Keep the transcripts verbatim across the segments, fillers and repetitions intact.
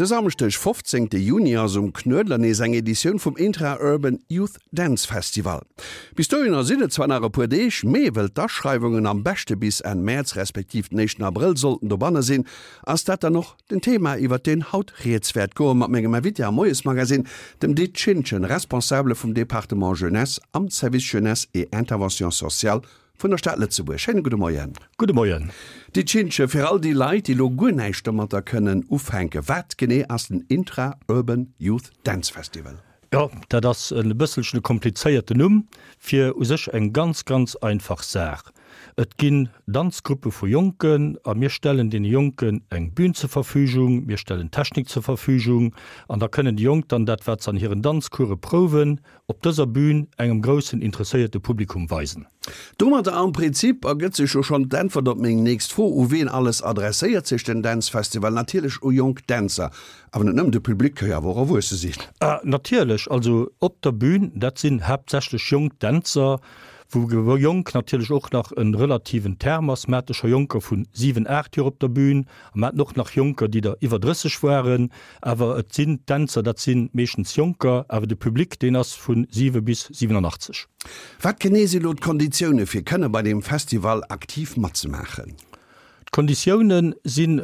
De Samschdeg fofzéngte Juni ass um Knuedler nees eng Editioun vum Intra-Urban Youth Dance Festival. Bis dohinner sinn et zwar nach e puer Deeg, mee wëll d'Aschreiwungen am beschte bis Enn Mäerz respektiv den éischten Abrëll sollten dobanne sinn, ass dat dann och den Thema iwwert deen haut rieds wäert goe mat mengem Invité am Moiesmagazine, dem Dit Schintgen, Responsabele vum Département Jeunesse am Service Jeunesse et Intervention sociale vun der Stad Lëtzebuerg. Schéine gudde Moien. Gudde Moien. Dit Schintgen, fir all déi Leit, déi elo guer näischt domatter kënnen ufänken, wat genee ass den Intra-Urban Youth Dance Festival? Jo, dat ass e bësselchen e komplizéierten Numm fir u sech eng ganz, ganz einfach Saach. Et ginn Danzgruppe vu Jonken a mir stellen deene Jonken eng Bühn zur Verfügung, mir stellen Technik zur Verfügung an da kënnen déi Jonk dann dat, wat se an hiren Danzcourse prouwen, op dëser Bühn engem groussen interesséierte Publikum weisen. Domadder am Prinzip ergëtt sech jo schonn d'Äntwert op meng nächst Fro, U wien alles adresséiert sech den Dance Festival? Natierlech u jonk Dänzer, awer net nëmmen, de Public ka jo awer och erwuesse sinn. Ah, natierlech, also op der Bühn, dat sinn haaptsächlech jonk Dänzer, wou jonk natierlech och nach e relativen Term ass. Mer hate scho Jonker vu siwen, aacht Joer op der Bühn a mer haten och nach Jonker, déi der iwwer drësseg waren. Awer et sinn Dänzer, dat si meeschtens Jonker, awer de Public, deen ass vu siwe bis siwenanachtzeg. Wat genee si lo d'Konditioune fir kënne bei deem Festival aktiv matzemaachen? D'Konditioune sinn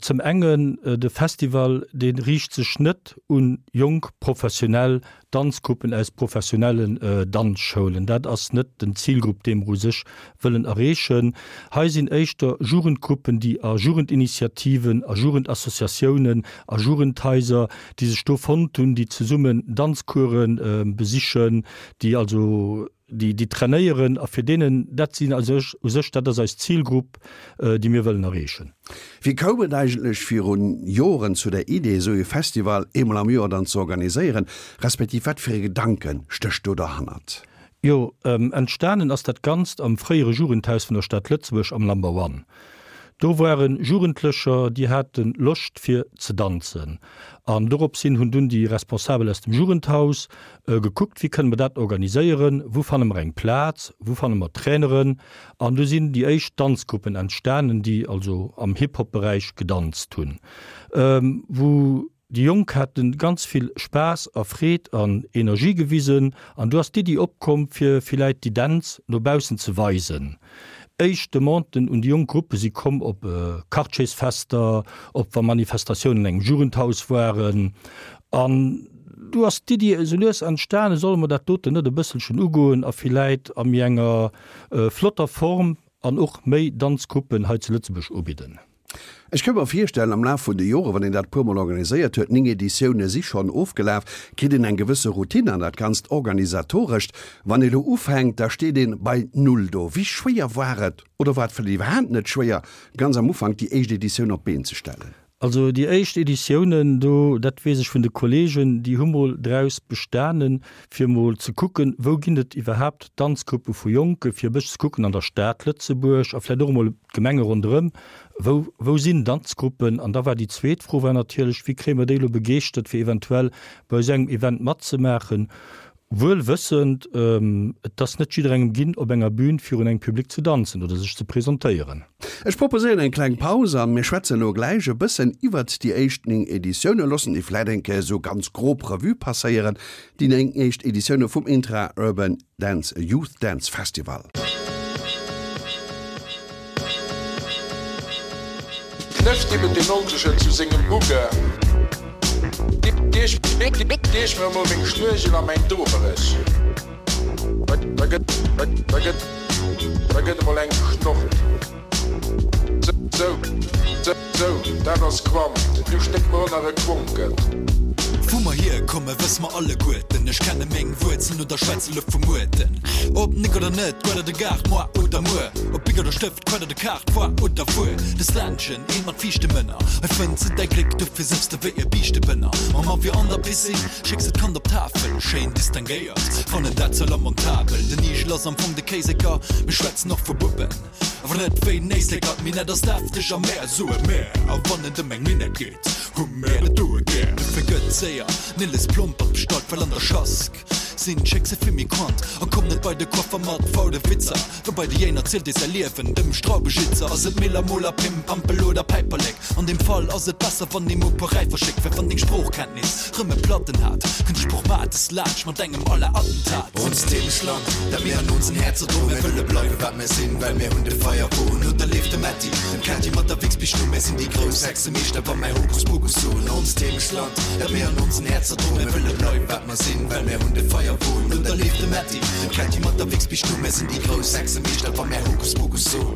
zum engen, de Festival dee riicht sech net un jonk professionell Danzgruppen aus professionellen Danzschoulen. Dat ass net den Zilgrupp dee mer u sech wëllen erreechen. Hei sinn éischter Jugendgruppen, déi a Jugendinitiativen, a Jugendassociatiounen, a Jugendhaiser, déi sech do fonnt hunn, déi zesummen Danzcourse besichen, déi also déi déi trainéieren a fir deenen, dat sinn a sech, u sech, dat ass eis Zilgrupp, déi mir wëllen erreechen. Wéi koum et eigentlech virun Joren zu der Idee, esou ee Festival eemol am Joer dann ze organiséieren, respektiv wat fir ee Gedanke stécht do derhannert? Jo, entstanen ass dat Ganzt am fréiere Jugendhaus vun der Stad Lëtzebuerg am Number One. Do waren Jugendlecher, déi hate Loscht fir ze danzen. An dorops hin hunn dunn déi Responsabel aus dem Jugendhaus gekuckt, wéi kënne mer dat organiséieren, wou fanne mer eng Plaz, wou fanne mer Traineren. An du sinn déi éischt Danzgruppen entstanen, déi also am Hip-Hop-Beräich gedanzt hunn, wou Déi Jonk haten ganz vill Spaass a Freed an Energie gewisen an du ass d'Iddi opkomm fir villäit déi Dänz no baussen ze weisen. Éischt Demanden un déi jonk Gruppe si komm op Quartiersfester, op wa Manifestatiounen an engem Jugendhaus waren an du ass d'Iddi esou lues entstanen, solle mer dat doten net e bësselchen ugoen a villäit a méi enger flotter Form an och méi Danzgruppen hei zu Lëtzebuerg ubidden. Ech ka mer virstellen, am Laf vun de Joren, wann een dat e puermol organiséiert huet, néng Editioune si schonn ofgelaf, kritt een eng gewësse Routine an dat Ganzt Organisatorescht. Wann ee lo ufänkt, da steet ee bei Null do. Wéi schwéier war et, oder war et vläicht iwwerhaapt net schwéier, ganz am Ufank déi éischt Editioun op d'Been ze stellen? Also déi éischt Editiounen do, dat weess ech vun de Kollegen, déi hu mol draus bestanen, fir mol ze kucken, wou ginn et iwwerhaapt Danzgruppe vu Jonke, fir e bëssche ze kucken an der Stad Lëtzebuerg a vläicht och emol d'Gemenge ronderëm, wou, wou sinn Danzgruppen? An da war déi zweet Fro war natierlech, wéi kréie mer déi elo begeeschtert, fir eventuell bei esou engem Event matzemaachen? Wuel wëssend, et ass net jidderengem ginn, op enger Bühn virun engem Public ze danzen oder sech ze presentéieren. Ech proposéieren eng kleng Paus a mir schwätzen elo gläich e bëssen iwwert déi éischt néng Editiounen, loossen déi vläit eng Kéier esou ganz grob Revue passéieren, déi néng éischt Editioune vum Intra Urban Dance Youth Dance Festival. Knëfft eben deen Oltegen zu sengem Bugge, Reech mir emol meng Schnuechel a mäin Doberech, da gëtt, da gëtt, da gëtt emol eng geschnorrt. Sou, sou, dat ass Quant, du stéck mer och nach e Quonken. Wou mer hierkomme wësse mer alleguerten. Ech kenne meng Wuerzelen oder schwätze lo vu Muerten. Ob Nick oder net, Guet oder Gaart, moi oder muer. Ob Bic oder Stëft, Quett oder Kaart, foar oder fuer. Des Ländchen, eent mat fiichte Mënner. Hei fënns de däi Gléck, dofir sëffs de wéi e Biischtebënner. Mam Avion an der Piscine, schécks de d'Kand op d'Tafel. Schéin distinguéiert, fannen dat ze lamentabel. Den Igel ass am Fong de Kéiseker, mir schwätzen och vu Buppen. Awer net wéi en Éisleker. D'Minett ass defteg a mär soe mär. A wann et ëm eng Minett geet, hu mär dat doe gär. Dofir gëtt séier Nilles Plompert bestallt, well an der Schask Sinn d'Schéckse vill méi quant A komm net bei de Coiffer mat faude Witzer Well bei de Jéiner zielt ee säi Liewen dem Straubeschitzer Ass et Miller, Moler, Pim, Pampel oder Päiperlek An deem Fall ass et besser wann ee mol puer Räifer schéckt Well wann deng Sproochkenntnis rëm e Platten hat Kënnt de Sproochmates laanscht mat engem à la Attentat. Onst Heemechtland, dat mir an onsen Häerzer droen Mir wëlle bleiwe wat mir sinn, well mir hunn de Feierwon No der leeft de Metti, dem Kätti mat der Wichsbiischt no Mir sinn déi grouss Hexemeeschter wa mär Hokuspokus soen Onst Heemechtland, dat mir an onsen Häerzer droen Mir wëlle bleiwe wat mer sinn, well mir hunn de Feierwon No der leeft de Metti, dem Kätti mat der Wichsbiischt no Mir sinn déi grouss Hexemeeschter wa mär Hokuspokus soen.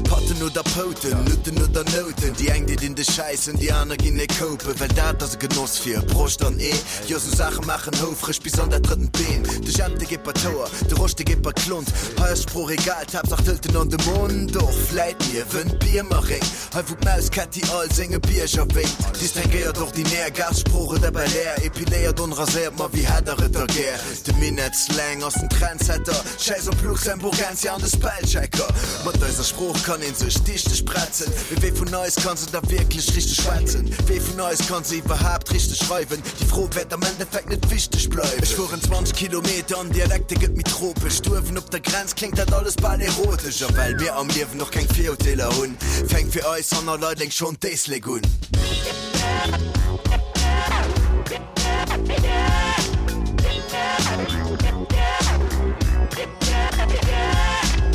Patten oder Pouten, Nutten oder Nouten, déi eng deet een de Schäissen, déi aner ginn ee koupen, well dat ass e Genoss fir Broscht an Ee. Jo, sou Saache maachen houfreg bis an dat drëttent Been. De Jemp, dee geet bei d'Houer, de Rosch, dee geet bei d'Klont. Hei ass d'Sprooch egal, d'Haaptsaach d'hëlt en an de Mond. Och vläit niewent Biermeréng, hei wou d'Maus Kätti all senge Bierger wénkt. Distinguéiert ordinär, Gaas-Sprooch oder Belair, epiléiert, onraséiert, ma wéi hätt der et da gär? De Minett-Slang ass den Trendsetter, Schäiss op Luxemburgensia an de Spellchecker. Mat eiser Sprooch kann een sech dichteg bretzen, mee wee vun eis kann se da wierklech richteg schwätzen? Wee vun eis kann se iwwerhaapt richteg schreiwen? Déi Fro wäert am Endeffekt net wichteg bleiwen. Ech fueren zwanzeg Kilometer an Dialekte gëtt méi tropesch. Do uewen op der Grenz kléngt dat alles bal erotesch. A well mir am Liewen och keng Virurteeler hunn, fänkt fir eis hanner Leideleng schonn d'Éislek un.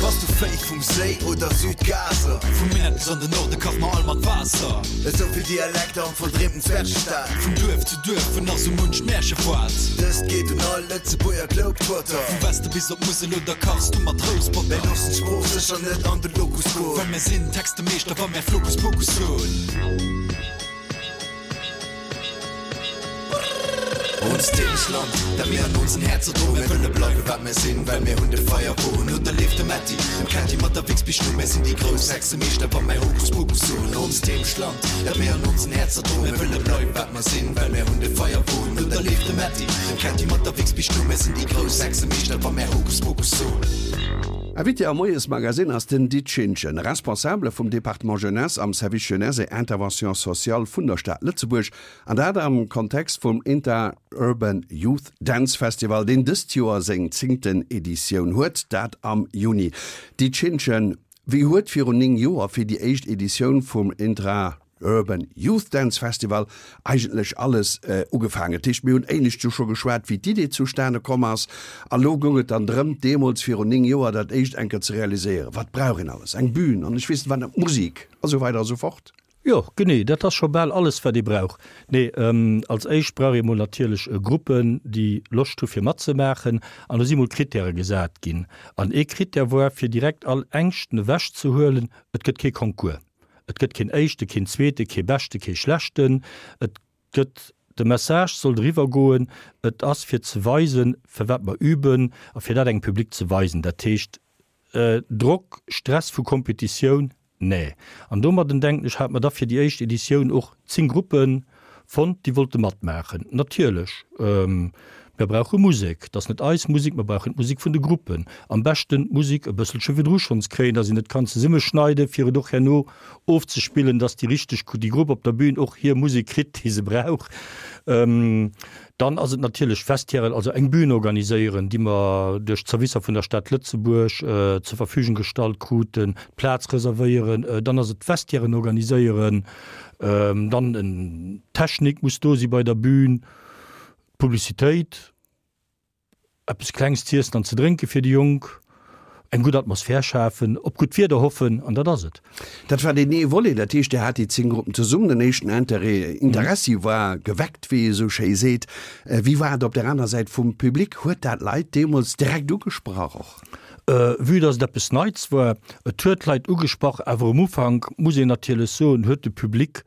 Bass du Féi vum Séi oder Südgaza? Vum Minett bis an den Norde kache mer all mat Waasser. Esou vill Dialekter am verdreemten Zwergestaat. Vun Duerf zu Duerf, vun nach sou munch Märchefoart. Dëst geet un all Lëtzebuerger Globetrotter. Vum Weste bis op d'Musel oder kachs du mat Rousbotter. Mir loossen d'Sprooch sécher net an de Locus goen. Well mir sinn Textemeeschter wa mär Flocus Pocus soen. Onst Heemechtland, dat mir an onsen Häerzer droen. Mir wëlle bleiwe wat mir sinn, well mir hunn de Feierwon. No der leeft de Metti, dem Kätti mat der Wichsbiischt no. Mir sinn déi grouss Hexemeeschter, wa mär Hokus Pokus soen. Onst Heemechtland, dat mir an onsen Häerzer droen. Mir wëlle bleiwe wat mer sinn, well mir hunn de Feierwon. No der leeft de Metti, dem Kätti mat der Wichsbiischt no. Mir sinn déi grouss Hexemeeschter, wa mär Hokus Pokus soen. Invité am Moiesmagazine ass den Dit Schintgen, Responsabele vum Département Jeunesse am Service Jeunesse et Intervention sociale vun der Stad Lëtzebuerg, an dat am Kontext vum Inter-Urban Youth Dance Festival, deen dëst Joer seng zéngten Editioun huet, dat am Juni. Dit Schintgen, wéi huet virun néng Joer fir déi éischt Editioun vum Intra. Urban Youth Dance Festival eigentlech alles ugefaangen. Dat heescht, mir hunn éinescht jo scho geschwat, wéi d'Idee zustane komm ass. A lo goung et dann drëm, deemools virun néng Joer dat éischt eng Kéier ze realiséieren. Wat brauch een alles? Eng Bühn an ech weess net wat nach, Musik a sou weider a sou fort. Jo, genee, dat ass scho bal alles, wat ee brauch. Nee, als éischt brauch ee mol natierlech Gruppen, déi Loscht hu fir matzemaachen. An do si mol Krittäre gesat ginn. An ee Krittär war, fir direkt all Ängschten ewechzehuelen, Et gëtt kee Concours. Et gëtt keen Éischte, keen Zweete, kee Beschte, kee Schlechten. Et gëtt, de Message sollt eriwwer goen, et ass fir ze weisen, firwat mer üben a fir dat engem Public ze weisen. Dat heescht, Drock, Stress vu Kompetitioun, nee. An domadden, denken ech, hate mer da fir déi éischt Editioun och zéng Gruppen fonnt, déi wollte matmaachen. Natierlech, Mir brauche Musek. Et ass net eis Musek, mer brauchen d'Musek vun de Gruppen. Am beschten d'Musek e bësselche virdru schonns kréien, dass een et kann zesummeschneiden, fir et och herno ofzespillen, dass déi richteg, déi Grupp op der Bühn och hir Musek kritt, déi se brauch. Dann ass et natierlech Vestiairen, also eng Bühn organiséieren, déi mer duerch d'Zerwisser vun der Stad Lëtzebuerg zur Verfügung gestallt kruten, d'Plaz reservéieren. Dann ass et d'Vestiairen organiséieren. Dann en Technik muss do si bei der Bühn. Publicitéit, eppes Klengs z'iessen an ze drénke fir déi Jonk, eng gutt Atmosphär schafen, op gutt Wieder hoffen an dat ass et. Dat war deen ee Volet, dat heescht, Dir hat déi zéng Gruppen zesummen, den éischten Interêt, Interessi war geweckt, wéi ee sou schéi seet. Wéi war et op där aner Säit vum Public? Huet dat d'Leit deemools direkt ugesprach och? Vue dass et eppes Neits war, et huet d'Leit ugesprach, awer um Ufank, muss een natierlech soen, huet de Public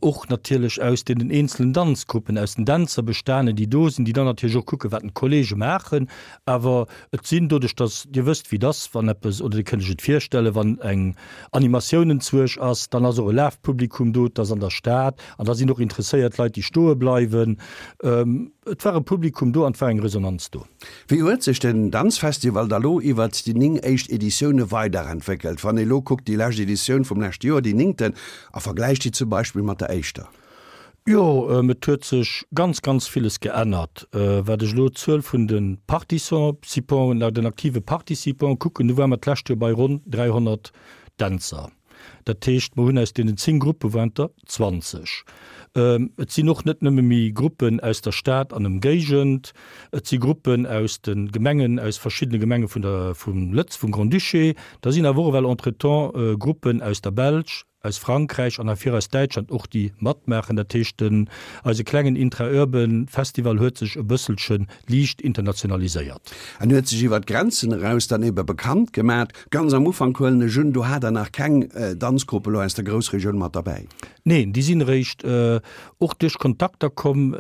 och natierlech aus deenen eenzelen Danzgruppen, aus den Dänzer bestanen, déi do sinn, déi dann natierlech och kucken, wat d'Kollege maachen. Awer et sinn doduerch, dass, Dir wësst wéi et ass, wann eppes, oder Dir kënnt lech et virstellen, wann eng Animatioun enzwuesch ass, dann ass och e Lafpublikum do, et ass an der Stad an da sinn och interesséiert Leit, déi stoe bleiwen. Et war e Publikum do an et war eng Resonanz do. Wéi huet sech den Danzfestival da lo iwwert déi néng éischt Editioune weiderentwéckelt? Wann ee lo kuckt, déi lescht Editioun vum leschte Joer, déi néngten, a vergläicht déi zum Beispill mat der éischter. Jo, et huet sech ganz, ganz villes geännert. Wat ech elo d'Zuel vun de Participant'en, den aktive Participant'en kucken, do ware mer d'lescht Joer bei ronn dräihonnert Dänzer. Dat heescht, mer hunn aus deenen zéng Gruppe waren et der zwanzeg. Et sinn och net nëmme méi Gruppen aus der Stad an Ëmgéigend, et si Gruppen aus de Gemengen, aus verschiddene Gemenge vun der, vum Lëtz, vum Grand-Duché. Da sinn awer och ewell entretemps Gruppen aus der Belsch, aus Frankräich an ervir aus Däitschland och, déi matmaachen. Dat heescht, den, eise klengen Intra-Urban Festival huet sech e bësselche liicht internationaliséiert. En huet sech iwwer d'Grenzen eraus dann ebe bekannt gemat. Ganz am Ufank, huelen ech un, do hat Der nach keng Danzgrupp elo aus der Groussregioun mat derbäi? Neen, déi sinn eréischt och duerch Kontakter komm,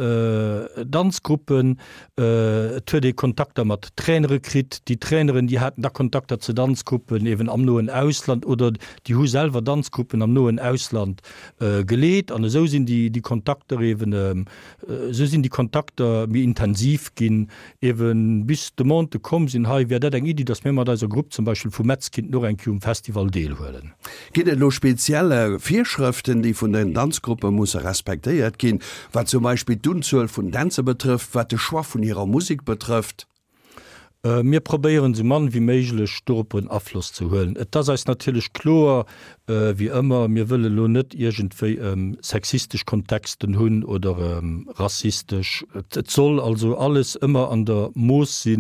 Danzgruppen. Et huet ee Kontakter mat Trainere kritt. Déi Traineren, déi haten da Kontakter zu Danzgruppen eben am noen Ausland oder déi hu selwer Danzgruppen am noen Ausland geleet. An esou sinn déi Kontakter eben, esou sinn déi Kontakter méi intensiv ginn, eben bis d'Demandë komm sinn, hei wär dat eng Iddi, datt mir mat eiser Grupp zum Beispill vu Metz kinnten och eng Kéier um Festival deelhuelen. Ginn et elo speziell Virschrëften, déi vun den Danzgruppe musse respektéiert ginn, wat zum Beispill d'Unzuel vun Dänzer betrëfft, wat de Choix vun hirer Musek betrëfft? Mir probéieren esou mann wéi méiglech dorop en Afloss ze huelen. Et ass eis natierlech kloer, wéi ëmmer, mir wëlle lo net iergendwéi sexistesch Kontexten hunn oder rassistesch. Et soll also alles ëmmer an der Mooss si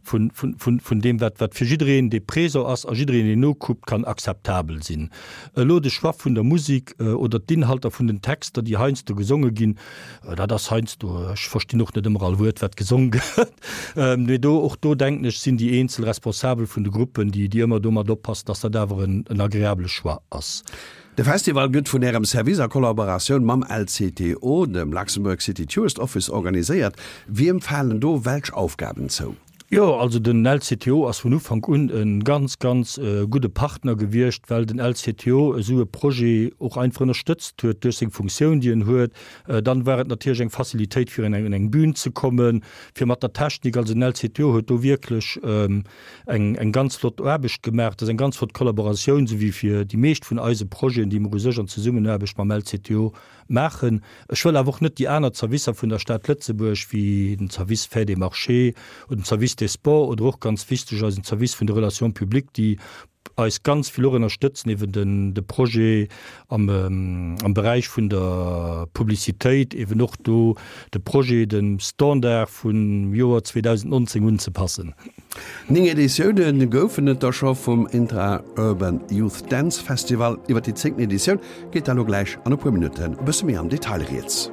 vun, vun, vun deem, wat, wat fir jiddereen, dee présent ass a jiddereen, deen nokuckt, kann akzeptabel sinn. Elo de Choix vun der Musek oder d'Inhalter vun den Texter, déi heiansdo gesonge ginn, dat ass heiansdo, ech verstinn och net ëmmer all Wuert, wat gesong gëtt, mee do, och do denken ech, sinn déi eenzel Responsabel vun de Gruppen, déi, déi ëmmer domat oppassen, dass dat awer en, en agreabele Choix ass. De Festival gëtt vun Ärem Service a Kollaboratioun mam L C T O, dem Luxembourg City Tourist Office, organiséiert. Wiem falen do welch Aufgaben zou? Jo, also den L C T O ass vun Ufank un e ganz, ganz gudde Partner gewiescht, well den L C T O esou e Projet och einfach ënnerstëtzt huet duerch seng Funktioun, déi en huet. Dann war et natierlech eng Facilitéit, fir un eng Bühn ze kommen, fir mat der Technik. Also den L C T O huet do wierklech eng eng ganz flott Aarbecht gemaach. Dat ass eng ganz flott Kollaboratioun, esou wéi fir déi meescht vun eise Projeten, déi mer u sech an Zesummenaarbecht mam L C T O maachen. Ech wëll awer och net déi aner Zerwisser vun der Stad Lëtzebuerg, wéi den Service Fêtes et Marchés oder den Service des Sports oder och ganz wichteg eisen Service vun de Relations publiques, déi eis ganz vill och ënnerstëtzen, eben den de Projet am am Beräich vun der Publicitéit, eben och do de Projet dem Standard vum Joer zweedausendnonzéng unzepassen. Néng Editioune goufen et der scho vum Intra-Urban Youth Dance Festival. Iwwer déi zéngten Editioun geet da lo gläich an e puer Minutten e bësse méi am Detail rieds.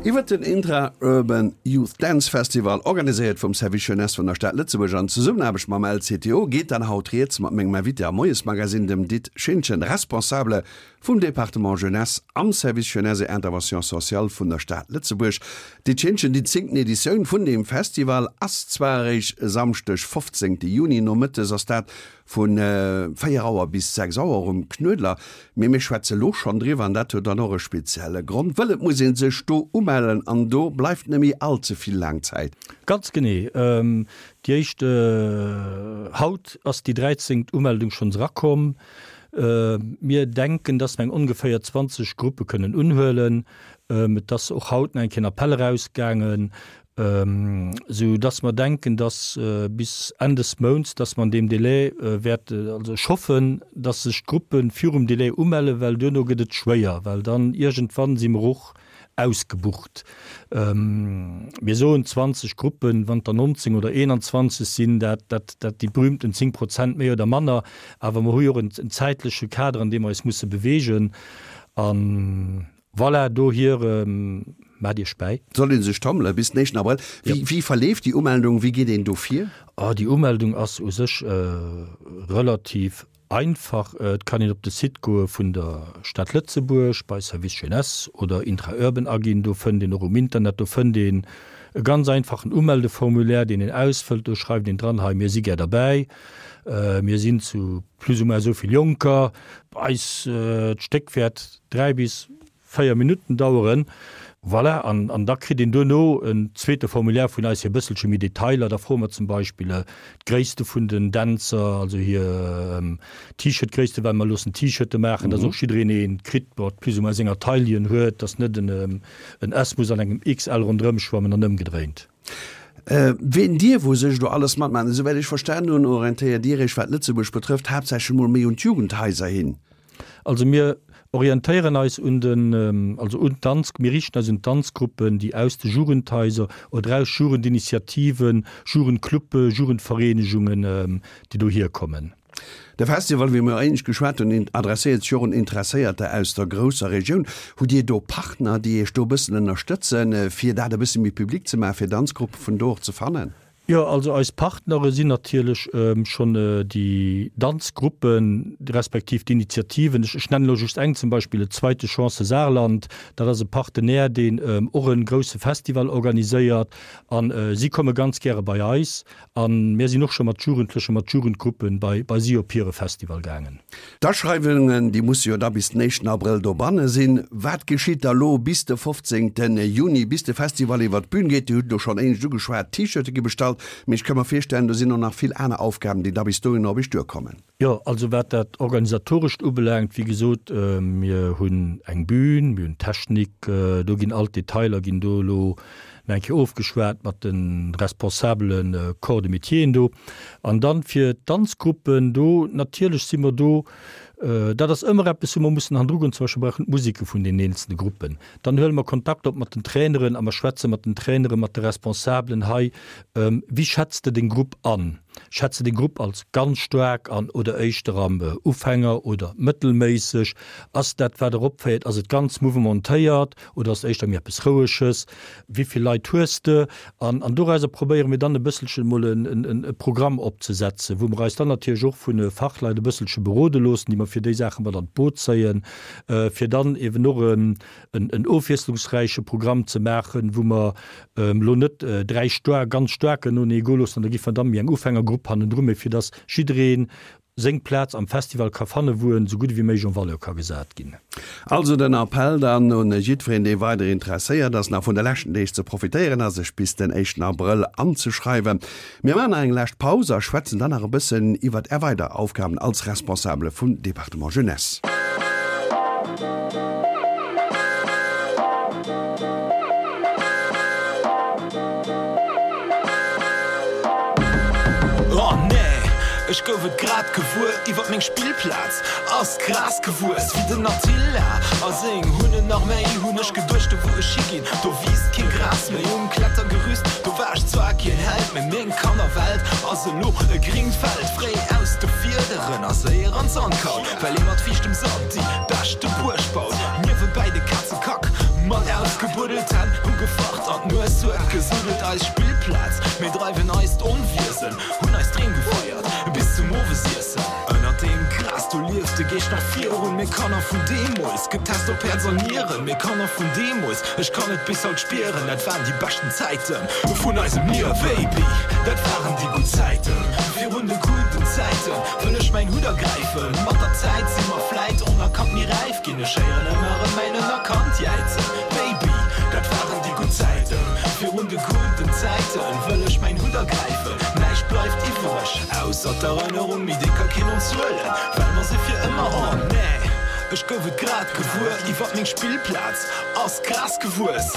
Iwwer den Intra-Urban Youth Dance Festival, organiséiert vum Service Jeunesse vun der Stad Lëtzebuerg an Zesummenaarbecht mam LCTO, geet dann haut rieds mat mengem Invité am Moiesmagazin, dem Dit Schintgen, Responsabele vum Département Jeunesse am Service Jeunesse et Intervention sociale vun der Stad Lëtzebuerg. Dit Schintgen, déi zéngten Editioun vun deem Festival ass zwar eréischt e Samschdeg, fofzéngte Juni, nomëttes ass dat vu véier Auer bis sechs Auer um Knuedler, mee mir schwätze lo schonn driwwer an dat huet dann och e spezielle Grond, wëll et muss ee sech do umellen an do bleift net méi all ze vill laang Zäit. Ganz genee. Déi éischt, haut ass déi dräizéngt Umeldung schonns erakomm. Mir denken, dass mer eng ongeféier zwanzeg Gruppe kënnen unhuelen. Et ass och haut nach eng Kéier en Appell erausgaangen, sou dass mer denken, dass bis Enn des Mounts, dass mer an deem Délai wäerten, also ech hoffen, dass sech d'Gruppe virum Délai umellen, well duerno gëtt et schwéier, well dann iergendwann si mer och ausgebucht. Mir soen zwanzeg Gruppen, wann et der nonzéng oder eenanzwanzeg sinn, dat, dat, dat déi berühmten zéng Prozent méi oder manner, awer mer hu jo och en zäitleche Kader, an deem mer eis musse beweegen. A voilà, dohier maacht Iech bäi. Soll ee sech tommele bis den éischten Abrëll. Wéi, wéi verleeft déi Umeldung? Wéi geet een do vir? Oh, déi Umeldung ass u sech relativ einfach. Et kann een op de Site goe vun der Stad Lëtzebuerg bei Service Jeunesse oder Intra-Urban aginn. Do fënnt een och um Internet, do fënnt een e ganz einfachen Umeldeformulaire, deen een ausfëllt. Do schreift een dran, hei mir si gär derbäi, mir sinn zu plus ou moins esou vill Jonker, eis d'Stéck wäert dräi bis véier Minutten daueren. Voilà, an, an da kritt een duerno en zweete Formulaire vun eis fir e bësselche méi Detailer. Da froe mer zum Beispill d'Gréisste vun den Dänzer, also hir T-Shirt-Gréisste, well mer loossen T-Shirte maachen, dass och jiddereen ee kritt, mat plus ou moins senger Taille, déi en huet, dass net en en S muss an engem XL ronderëm schwammen an ëmgedréint. Ween dierf u sech do alles matmaachen? Esouwäit ech verstanen hunn, orientéiert Dir Iech, wat Lëtzebuerg betrëfft, haaptsächlech emol méi un d'Jugendhaiser hin. Also mir orientéieren eis un den, also un d'Danz, mir riichten eis un d'Danzgruppen, déi aus de Jugendhaiser oder aus Jugendinitiativen, Jugendclubbe, Jugendvereenegungen, déi dohier kommen. De Festival, wéi mir éinescht geschwat hunn, adresséiert sech och un Interesséierter aus der grousser Regioun. Hutt Dir do Partner, déi Iech do e bëssen ënnerstëtzen, fir dat e bësse méi public ze maachen, fir Danzgruppe vun do och ze fannen? Jo, also eis Partnere sinn natierlech schonn déi Danzgruppen, respektiv d'Initiativen. Ech nennen elo just eng zum Beispill, Zweite Chance Saarland. Dat ass e Partenaire, deen och e grousse Festival organiséiert. A si komme ganz gäre bei eis. A mir sinn och scho mat Jugendlechen, mat Jugendgruppen bei bei si op hire Festival gaangen. D'Aschreiwungen, déi musse jo da bis den éischten Abrëll dobanne sinn. Wat geschitt da lo bis de fofzéngte Juni, bis de Festival iwwer d'Bün geet? Dir hutt elo schonn éinescht ugeschwat, T-Shirte gi bestallt, mee ech ka mer virstellen, do sinn och nach vill aner Aufgaben, déi da bis dohinner op iech duerkommen. Jo, also wat dat Organisatorescht ubelaangt, wéi gesot, mir hunn eng Bühn, mir hunn Technik, do ginn all d'Detailer ginn do elo nach eng Kéier ofgeschwat mat de responsabele Corps de métieren do. An dann fir d'Danzgruppen do, natierlech si mer do, dat ass ëmmer eppes, wou mer mussen hannendru goen, zum Beispill brauchen d'Museke vun den eenzelne Gruppen. Dann huele mer Kontakt op mat den Traineren a mer schwätze mat den Traineren, mat de Responsabelen hei, Wéi schätz de deng Grupp an? Schätz de deng Grupp als ganz staark an oder éischter am Ufänger oder mëttelméisseg? Ass dat, wat der opféiert, ass et ganz mouvementéiert oder ass et éischter méi eppes Roueges? Wéi vill Leit hues de? An dorauser probéiere mir dann e bësselchen emol e Programm opzesetzen, wou mer eis dann natierlech och vu Fachleit e bësselche berode loossen, déi mer fir déi Saache mat an d'Boot zéien, fir dann eeben och en ofwiesslungsräiche Programm ze maachen, wou mer elo net dräi staark, ganz staarken noenee goe loossen an da gi mer dann méi eng Ufängergrupp hannendru, mee fir datt jidderee seng Plaz am Festival ka fanne wou en esou gutt ewéi méiglech en valeur ka gesat ginn. Also den Appell dann un jiddwereen dee weider interesséiert ass, nach vun de leschten Deeg ze profitéieren a sech bis den éischten Abrëll anzeschreiwen. Mir maachen nach eng lescht Paus a schwätzen dann nach e bëssen iwwert Är weider Aufgaben als Responsabele vum Département Jeunesse. Oh nee, ech gouf et grad gewuer, iwwert meng Spillplaz ass d'Gras gewuess wéi den Attila a seng Hunnenarméi. Hunn ech geduecht, do wou ech higinn, do wiisst keen Gras méi. Um Klettergerüst, do war ech zwar keen Held, mee meng Kannerwelt ass elo e gringt Feld. Fréi aus de Fiederen a séier an d'Sandkaul, well ee mat fiichtem Sand déi beschte Buerg baut. Niewebäi de Kazekack mat aus. Gebuddelt Hänn hu gefacht an d'Nues huet gesuddelt. Eis Spillplaz, mir dreiwen eist Onwiesen, hunn eis Dreem gefeiert bis zum Owesiessen. Ënnert deem Gras do lieft de Geescht nach virun, mir Kanner vun deemools, getest op Häerz an Nieren. Mir Kanner vun deemools, ech kann et bis haut spieren, dat waren déi beschten Zäiten vun eisem Liewe. Baby, dat waren déi gutt Zäiten. Virun de gudden Zäiten wëll ech mäin Hutt ergräifen. Mat der Zäit si mer vläit onerkannt méi räif ginn. Ech héieren ëmmer erëm mäin Ënnerkand jäizen. Baby, dat waren déi gutt Zäiten. Virun de gudden Zäiten wëll ech mäin Hutt ergräifen. Näischt bleift iwwereg ausser d'Erënnerung, mee déi ka keen ons huelen, well mer se fir ëmmer. Oh nee, ech gouf et grad gewuer, iwwert meng Spillplaz ass Gras gewuess.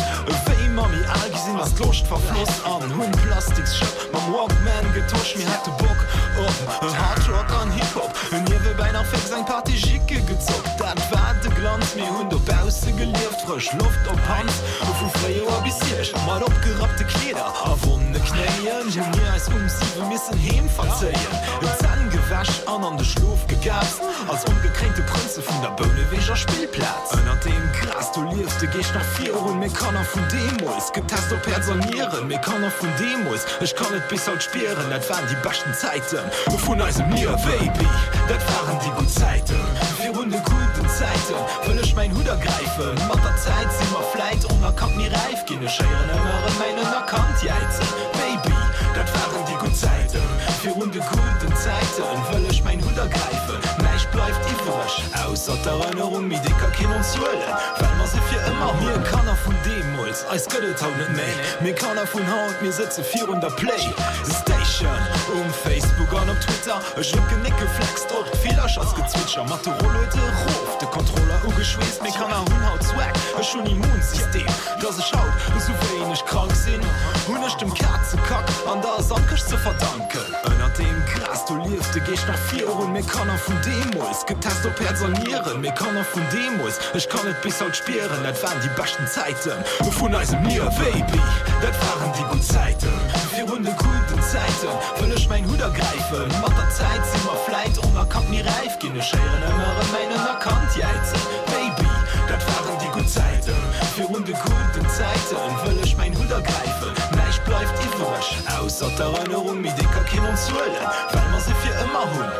Wéi mer méi al gi sinn, ass d'Loscht verfloss an hunn d'Plastiksschëpp mam Walkman getosch. Mir hate Bock op Hard Rock an Hip Hop, niewebäi nach fix eng Partie Jicke gezockt. Dat war de Glanz, mir hunn dobausse gelieft, frësch Loft op Hand vu Fréijoer bis Hierscht. Mat opgerappte Kleeder a wonne Knéien hu mir eis um siwe missen heem verzéien. D'Zänn gewäsch an an de Schlof gegaapst als ongekréinte Prënze vun der Bouneweger Spillplaz. Ënnert deem Gras do lieft de Geescht nach virun, mir Kanner vun deemools, getest op Häerz an Nieren. Mir Kanner vun deemools, ech kann et bis haut spieren, dat waren déi beschten Zäiten vun eisem Liewe. Baby, dat waren déi gutt Zäiten. Virun de gudden Zäiten wëll ech mäin Hutt ergräifen. Mat der Zäit si mer vläit onerkannt méi räif ginn. Ech héieren ëmmer erëm mäin Ënnerkand jäizen. Baby, dat waren déi gutt Zäiten. Virun de gudden Zäiten wëll ech mäin Hutt ergräifen. Näischt bleift iwwereg ausser d'Erënnerung, mee déi ka keen ons huelen, well mer se fir ëmmer hunn. Mir Kanner vun deemools, eis gëtt et haut net méi. Mir Kanner vun haut, mir sëtze virun der Play Station, um Facebook an op Twitter. Ech hunn d'Genéck geflext op d'Villerchersgezwitscher, mat de Rolluede rof, de Kontroller ugeschweesst. Mir Kanner hunn haut Swag, ech hunn Immunsystem. Dass ech haut esou wéineg krank sinn, hunn ech dem Kazekack an der Sandkëscht ze verdanken. Ënnert deem Gras do lieft de Geescht nach virun, mir Kanner vun deemools, getest op Häerz an Nieren. Mir Kanner vun deemools, ech kann et bis haut spieren, dat waren déi beschten Zäiten vun eisem Liewe. Baby, dat waren déi gutt Zäiten. Virun de gudden Zäiten wëll ech mäin Hutt ergräifen. Mat der Zäit si mer vläit onerkannt méi räif ginn. Ech héieren ëmmer erëm mäin Ënnerkand jäizen, Baby, dat waren déi gutt Zäiten. Virun de gudden Zäiten wëll ech mäin Hutt ergräifen. Näischt bleift iwwereg ausser d'Erënnerung, mee déi ka keen ons huelen, well mer se fir ëmmer hunn.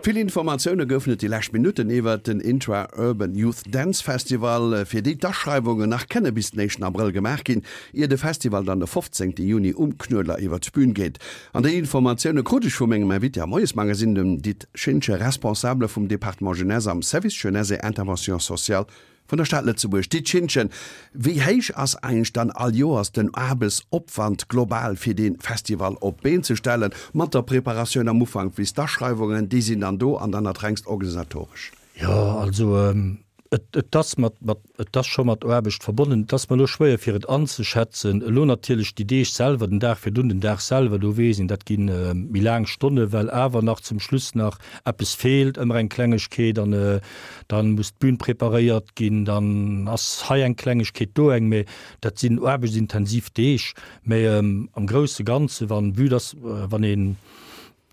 Vill Informatioune goufen et déi lescht Minutten iwwert den Intra-Urban Youth Dance Festival, fir déi d'Aschreiwungen nach kënne bis den éischten Abrëll gemaach ginn, ier de Festival dann de fofzéngte Juni um Knuedler iwwert d'Bün geet. An déi Informatioune krut ech vu mengem Invité am Moiesmagazine, dem Dit Schintgen, Responsabele vum Département Jeunesse am Service Jeunesse et Intervention sociale vun der Stad Lëtzebuerg. Dit Schintgen, wéi héich ass eigentlech dann all Joers den Aarbechtsopwand global fir dee Festival op d'Been ze stellen, mat der Preparatioun am Ufank bis d'Aschreiwungen, déi sinn dann do an dann dat rengst organisatoresch? Jo, also et et ass mat mat et ass scho mat Aarbecht verbonnen. Et ass mer elo schwéier fir et anzeschätzen. Elo natierlech déi Deeg selwer, den Dag virdrun, den Dag selwer, do weess een, dat gi méi laang Stonne well awer nach zum Schluss nach eppes feelt, ëmmer eng Klengegkeet an dann muss d'Bün preparéiert ginn, dann ass hei eng Klengegkeet, do eng, mee dat sinn aarbechtsintensiv Deeg. Mee am grousse Ganze wann, vue dass wann een,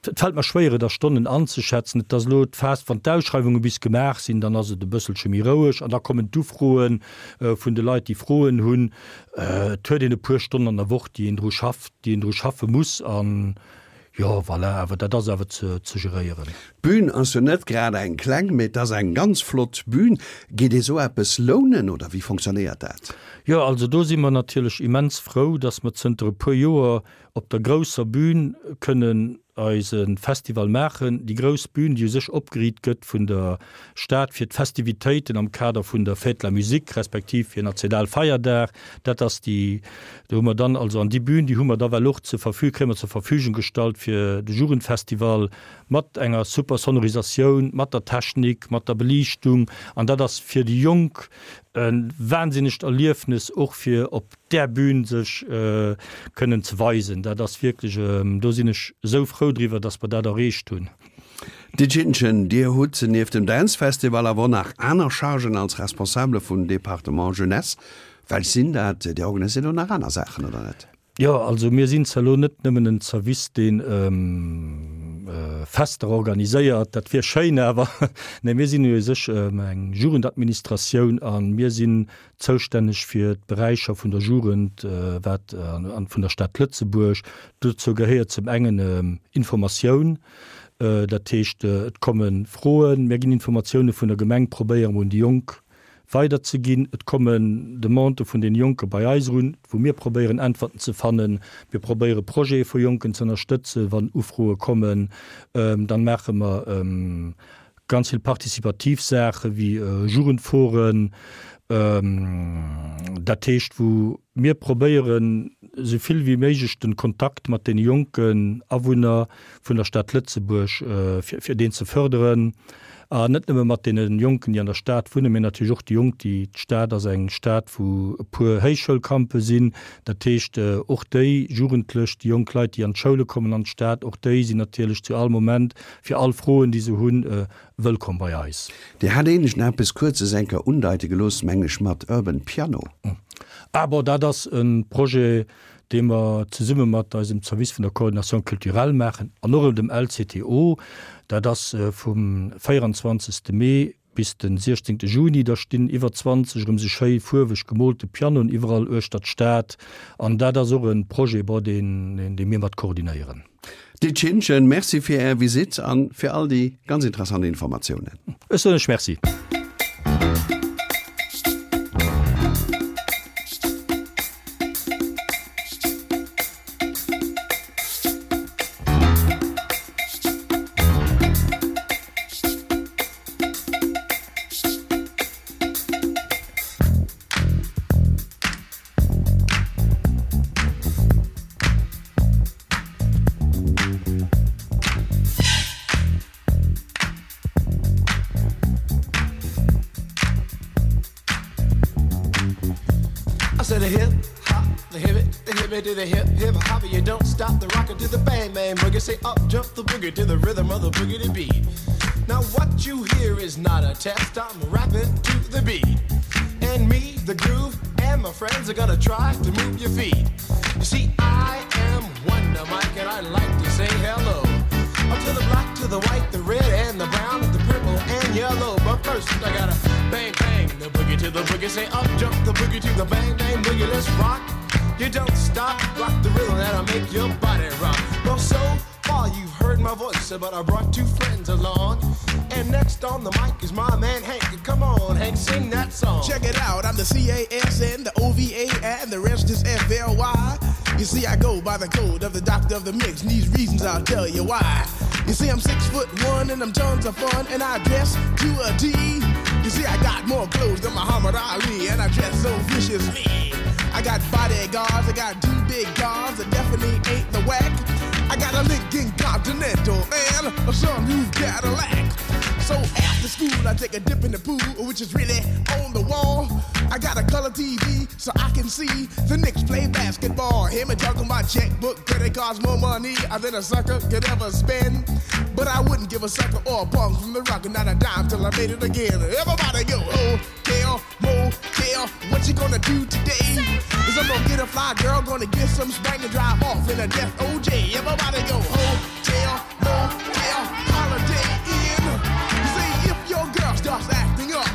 et fält mer schwéier et a Stonnen anzeschätzen, et ass elo d'Phas, wann d'Ausschreiwunge bis gemaach sinn, dann ass et e bësselche méi roueg an da kommen d'Ufroe vun de Leit, déi Froen hunn. Et huet een e puer Stonnen an der Woch, déi een dru schafft, déi een dru schaffe muss an, Jo, voilà, awer dat ass awer ze ze geréieren. D'Bün ass jo net grad eng kleng, mee et ass eng ganz flott Bün. Geet ee sou eppes lounen oder wéi fonctionnéiert dat? Jo, also do si mer natierlech immens frou, dass mer zënter e puer Joer op der grousser Bün kënnen eise Festival maachen. Déi grouss Bün, déi u sech opgeriit gëtt vun der Stad fir d'Festivitéiten am Kader vun der Fête de la Musique respektiv fir Nationalfeierdag, dat ass déi, do hu mer dann also, an déi Bühn, déi hu mer da well och zur Verfü-, kréie mer zur Verfügung gestallt fir de Jugendfestival mat enger super Sonorisatioun, mat der Technik, mat der Beliichtung. An dat ass fir déi Jonk e wahnsinnegt Erliefnes och fir op där Bühn sech kënnen ze weisen. Dat ass wierklech, do sinn ech esou frou driwwer, dass mer dat erreecht hunn. Ditchinchen, Dir hutt nieft dem Dance Festival awer och nach aner Chargen als Responsabele vum Département Jeunesse. Welch sinn dat? Dir organiséiert och nach aner Saachen, oder net? Jo, also mir sinn zwar elo net nëmmen en Zerwiss, deen Fester organiséiert, dat wier schéin, awer nee, mir sinn u sech eng Jugendadministratioun a mir sinn zoustänneg fir d'Beräicher vun der Jugend wat an vun der Stad Lëtzebuerg. Dozou gehéiert zum engen Informatioun, dat heescht et komme Froen, mir ginn Informatioune vun der Gemeng, probéiere mer un déi Jonk weiderzeginn. Et kommen Demandë vun den Jonke bei eis erun, wou mir probéieren Äntwerten ze fannen. Mir probéiere Projete vu Jonken ze ënnerstëtzen, wann Ufroe kommen. Dann maache mer ganz vill participativ Saache wéi Jugendforen, dat heescht wou mir probéieren esou vill wéi méiglech den Kontakt mat den jonken Awunner vun der Stad Lëtzebuerg fir deen ze förderen. An net nëmme mat deene Jonken, déi an der Stad wunnen, mee natierlech och déi Jonk, déi, d'Stad ass eng Stad, wou e puer Héichschoulcampe sinn. Dat heescht, och déi Jugendlech, déi jonk Leit, déi an d'Schoule kommen an d'Stad, och déi sinn natierlech zu all Moment fir all Froen, déi se hunn, wëllkomm bei eis. Dir hat éinescht nach eppes Kuerzes eng Kéier undeite gelooss, meng ech, mat Urban Piano. Ah bon, dat ass e Projet, dee mer zesumme mat eisem Service vun der Coordination culturelle maachen an och dem L C T O. Dat ass vum véieranzwanzegste Mee bis de siechzéngte Juni. Da stinn iwwer zwanzeg erëm sou schéi fuerweg gemoolte Pianoen iwwerall uechter d'Stad. An dat ass och e Projet, bon, deen, dee mir mat koordinéieren. Ditch Hinschen, Merci fir Är Visitt an fir all déi ganz interessant Informatiounen. Ech soen lech Merci. I said a hip hop, the hip it, the hip it to the hip hip hop. You don't stop the rocker to the bang bang boogie. Say up jump the boogie to the rhythm of the boogie to beat. Now what you hear is not a test. I'm rapping to the beat, and me, the groove, and my friends are gonna try to move your feet. You see, I am Wonder Mike, and I like to say hello. Up to the black, to the white, the red, and the brown, the purple, and yellow. But first, I gotta bang bang the boogie to the boogie. Say up jump the boogie to the bang bang boogie. Let's rock. You don't stop, rock the rhythm that'll make your body rock. Well, so far you've heard my voice, but I brought two friends along. And next on the mic is my man Hank. Come on, Hank, sing that song. Check it out, I'm the C A S N, the O V A, and the rest is F L Y. You see, I go by the code of the doctor of the mix, and these reasons I'll tell you why. You see, I'm six foot one, and I'm tons of fun, and I dress to a T. You see, I got more clothes than Muhammad Ali, and I dress so viciously. I got bodyguards, I got two big guns that definitely ain't the whack. I got a Lincoln Continental and a sunroof Cadillac. So after school, I take a dip in the pool, which is really on the wall. I got a color T V so I can see the Knicks play basketball. Him and talking my checkbook, cause it costs more money than a sucker could ever spend. But I wouldn't give a sucker or a bum from the rock, not a dime till I made it again. Everybody go, hotel, motel, what you gonna do today? Is I'm gonna get a fly girl, gonna get some spank and drive off in a death O J. Everybody go, hotel, motel, Holiday Inn. You see, if your girl starts acting up,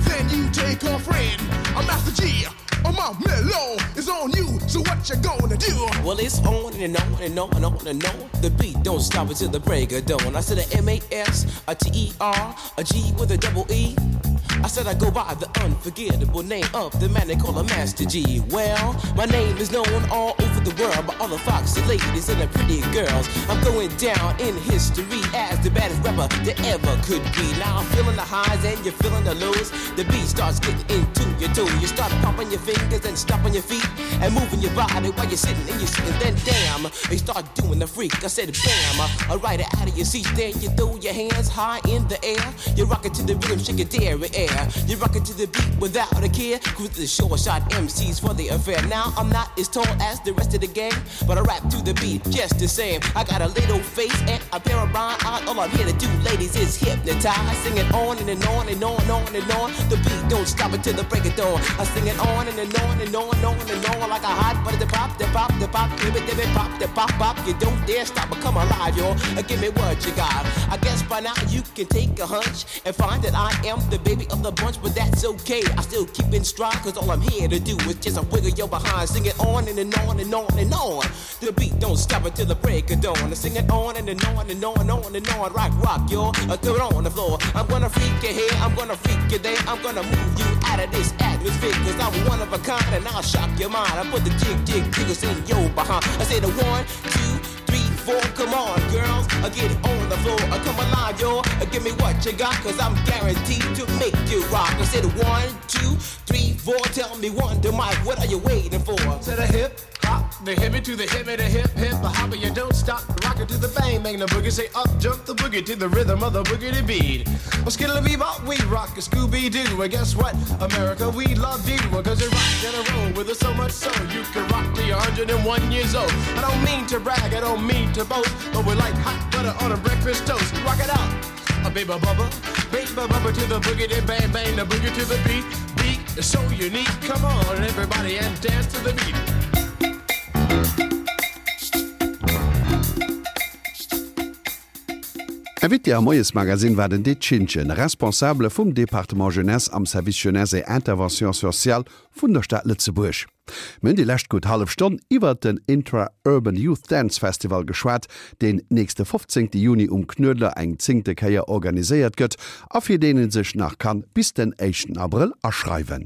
then you take her friend. I'm Master G. On my mellow is on you, so what you gonna do? Well, it's on and on and on and on and on. The beat don't stop until the break of dawn. I said a M A S, a T E R, a G with a double E. I said I go by the unforgettable name of the man they call a Master Gee. Well, my name is known all over the world by all the foxy ladies and the pretty girls. I'm going down in history as the baddest rapper that ever could be. Now I'm feeling the highs and you're feeling the lows. The beat starts getting into your toe. You start pumping your fingers and stomping your feet and moving your body while you're sitting and you're sitting. Then damn, you start doing the freak. I said bam, I ride it out of your seat. Then you throw your hands high in the air. You rock it to the rhythm, shake your dairy air. air. You rock it to the beat without a care. Cruise the short shot MCs for the affair. Now I'm not as tall as the rest of the gang, but I rap to the beat just the same. I got a little face and a pair of rhyme eyes. All I'm here to do, ladies, is hypnotize. Sing it on and, and on and on and on and on. The beat don't stop until the break of dawn. I sing it on and, and on and on and on and on like a hot butter. The pop, the pop, the pop, give it, give it, pop, the pop, pop. You don't dare stop or come alive, yo. Uh, Give me what you got. I guess by now you can take a hunch and find that I am the baby of the bunch, but that's okay. I still keep in stride, cause all I'm here to do is just a wiggle your behind. Sing it on and, and on and on and on. The beat don't stop until the break of dawn. I sing it on and, and on and on and on and on. Rock, rock, yo. Uh, throw it on the floor. I'm gonna freak you here, I'm gonna freak you there. I'm gonna move you out of this atmosphere, cause I'm one of a kind and I'll shock your mind. I put the jig, jig, jiggles in your behind. I say the one, two, three, four. Come on, girls, uh, get on the floor. Uh, come alive, yo. Uh, give me what you got, cause I'm guaranteed to make you rock. I said one, two, three, four. Tell me one, to Mike, what are you waiting for? To the hip hop, the hippie to the hippie, the hip hip, the hopper, you don't stop. Rock it to the bang, bang the boogie. Say up, jump the boogie to the rhythm of the boogie to beat. Well, skittle bebop, we rock a Scooby Doo. And guess what, America, we love you. Cause you rock in a row with us so much so you can rock till you're a hundred and one years old. I don't mean to brag, I don't mean to boast, but we're like hot butter on a breakfast toast. Rock it out. A baby bubba, baby bubba to the boogie, then bang bang the boogie to the beat. Beat is so unique. Come on, everybody, and dance to the beat. Invité am Moiesmagazin war den Did Schintgen, Responsabele vum Département Jeunesse am Service Jeunesse et Intervention sociale vun der Stad Lëtzebuerg. Mir hunn déi lescht gutt hallef Stonn iwwert den Intra-Urban Youth Dance Festival geschwat, deen nächste fofzéngte Juni um Knuedler eng zéngte Kéier organiséiert gëtt a fir deen ee sech nach kann bis den éischten Abrëll aschreiwen.